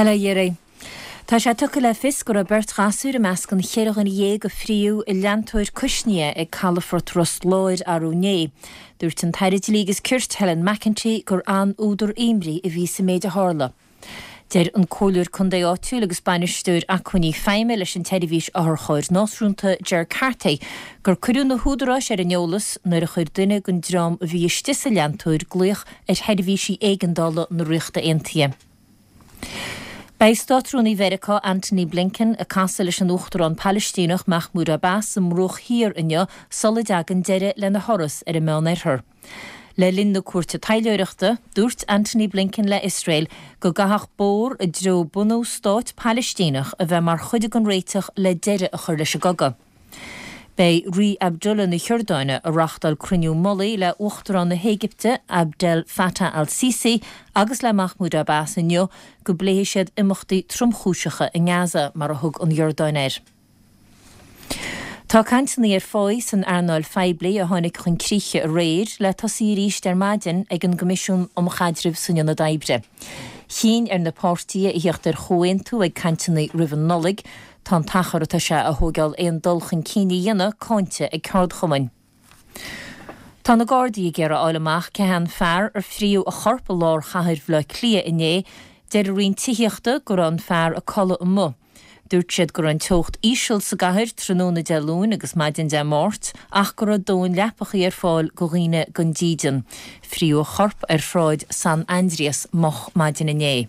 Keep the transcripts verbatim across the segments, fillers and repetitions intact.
Bail ó Dhia oraibh. Tá sé tugtha le fios go raibh beirt ghasúr i measc an cheithre dhuine dhéag a fríodh i leantóir cuisnithe ag calafort Ros Láir arú inné. Dúirt an tAire Dlí agus Cirt Helen McEntee gur an-údar imní a bhí sa méid a tharla. Deir an Comhairleoir Contae áitiúil agus bainisteoir acmhainní feidhme leis an tseirbhís otharchairr náisiúnta Ger Carthy gur cuireadh na húdaráis ar an eolas nuair a chuir duine den dream a bhí istigh sa leantóir glaoch ar sheirbhísí éigeandála na Ríochta Aontaithe. Beidh Státrúnaí Mheiriceá Antony Blinken ag casadh leis an Uachtarán Palaistíneach Mahmoud Abbas sa mBruach Thiar inniu sula dtagann deireadh lena thuras ar an Meánoirthear. Le linn na cuairte taidhleoireachta, dúirt Antony Blinken le Iosrael go gcaithfeadh bóthar i dtreo bunú stát Palaistíneach a bheith mar chuid den réiteach le deireadh a chur leis an gcogadh. Beidh Rí Abdullah na hIordáine ag reáchtáil cruinniú mullaigh le Uachtarán na hÉigipte Abdel Fattah al-Sisi agus le Mahmoud Abbas inniu go bpléifidh siad imeachtaí tromchúiseacha i nGaza mar a thug an Iordáin air. Tá cainteanna ar pháí san earnáil phoiblí a tháinig chun críche aréir le tosaí arís ar maidin ag an gCoimisiún um Chaidreamh san Ionad Oibre. Chinn ar na páirtithe a theacht ar chomhaontú ag cainteanna roimh an Nollaig, tá an t-achar atá sé a thógáil aon dul chun cinn a dhéanamh cáinte ag ceardchumainn. Tá na Gardaí ag iarraidh a fháil amach cé hé an fear ar fríodh a chorp i lár chathair Bhaile Átha Cliath inné, deir an Roinn Tithíochta go raibh an fear ag codladh amuigh. Dúirt siad go raibh an teocht íseal sa gcathair tráthnóna Dé Luain agus maidin Dé Máirt ach go raibh dóthain leapachaí ar fáil do dhaoine gan dídean. Fríodh a chorp ar shráid San Aindrias moch maidin inné.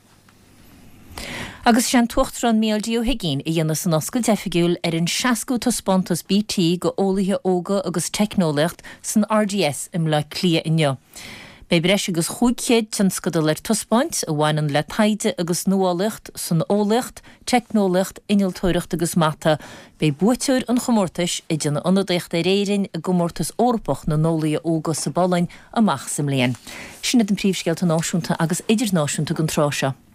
Agus is é an tUachtarán Micheál D. Ó hUigínn a dhéanfas an oscailt oifigiúil ar an seascú taispeántas BT go eolaithe óga agus teicneolaíocht san RDS i mBleá Cliath inniu. Beidh breis agus chúig chéad tionscadal ar taispeáint a bhaineann le taighde agus nuálaíocht san eolaíocht, teicneolaíocht, innealtóireacht agus mata. Beidh buaiteoir an chomórtais ag déanamh ionadaíocht ar Éirinn i gcomórtas Eorpach na n-eolaithe óga sa bPolainn amach sa mbliain. Sin iad na príomhscéalta náisiúnta agus idirnáisiúnta don tráth seo.